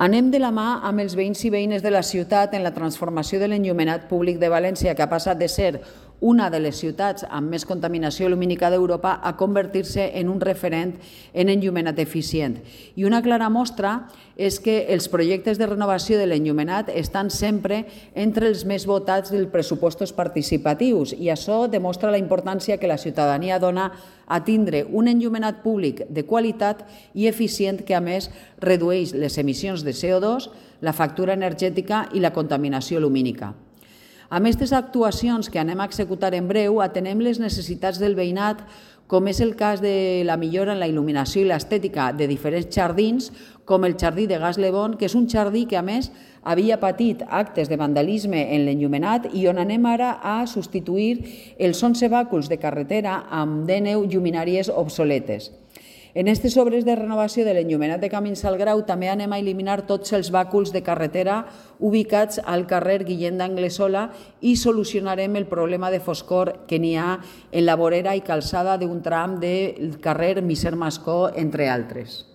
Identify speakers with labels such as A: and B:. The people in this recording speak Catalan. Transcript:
A: Anem de la mà amb els veïns i veïnes de la ciutat en la transformació de l'enllumenat públic de València, que ha passat de ser una de les ciutats amb més contaminació lumínica d'Europa a convertir-se en un referent en enllumenat eficient. I una clara mostra és que els projectes de renovació de l'enllumenat estan sempre entre els més votats dels pressupostos participatius i això demostra la importància que la ciutadania dona a tindre un enllumenat públic de qualitat i eficient que, a més, redueix les emissions de CO2, la factura energètica i la contaminació lumínica. Amb aquestes actuacions que anem a executar en breu, atenem les necessitats del veïnat, com és el cas de la millora en la il·luminació i l'estètica de diferents jardins, com el jardí de Gas Lebón, que és un jardí que, a més, havia patit actes de vandalisme en l'enllumenat i on anem ara a substituir els 11 bàculs de carretera amb 19 lluminàries obsoletes. En aquestes obres de renovació de l'enllumenat de Camins al Grau també anem a eliminar tots els bàculs de carretera ubicats al carrer Guillem d'Anglesola i solucionarem el problema de foscor que n'hi ha en la vorera i calçada d'un tram del carrer Misser Mascó, entre altres.